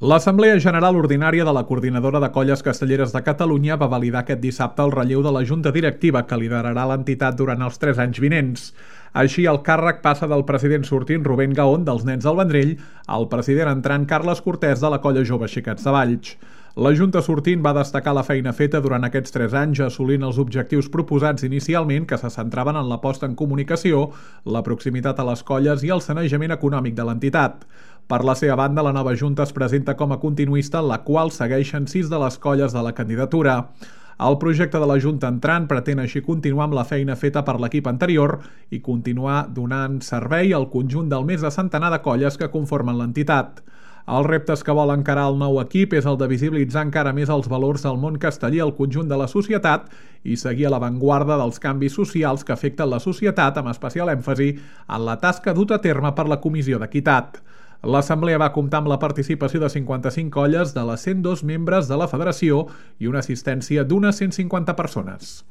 L'Assemblea General Ordinària de la Coordinadora de Colles Castelleres de Catalunya va validar aquest dissabte el relleu de la Junta Directiva que liderarà l'entitat durant els 3 anys vinents. Així, el càrrec passa del president sortint Rubén Gaón dels Nens del Vendrell al president entrant Carles Cortés de la Colla Jove Xiquets de Valls. La Junta sortint va destacar la feina feta durant aquests 3 anys assolint els objectius proposats inicialment que se centraven en la posta en comunicació, la proximitat a les colles i el sanejament econòmic de l'entitat. Per la seva banda, la nova Junta es presenta com a continuista en la qual segueixen 6 de les colles de la candidatura. El projecte de la Junta entrant pretén així continuar amb la feina feta per l'equip anterior i continuar donant servei al conjunt del més de centenar de colles que conformen l'entitat. Els reptes que vol encarar el nou equip és el de visibilitzar encara més els valors del món casteller al conjunt de la societat i seguir a l'avantguarda dels canvis socials que afecten la societat, amb especial èmfasi en la tasca duta a terme per la Comissió d'Equitat. L'Assemblea va comptar amb la participació de 55 colles de les 102 membres de la Federació i una assistència d'unes 150 persones.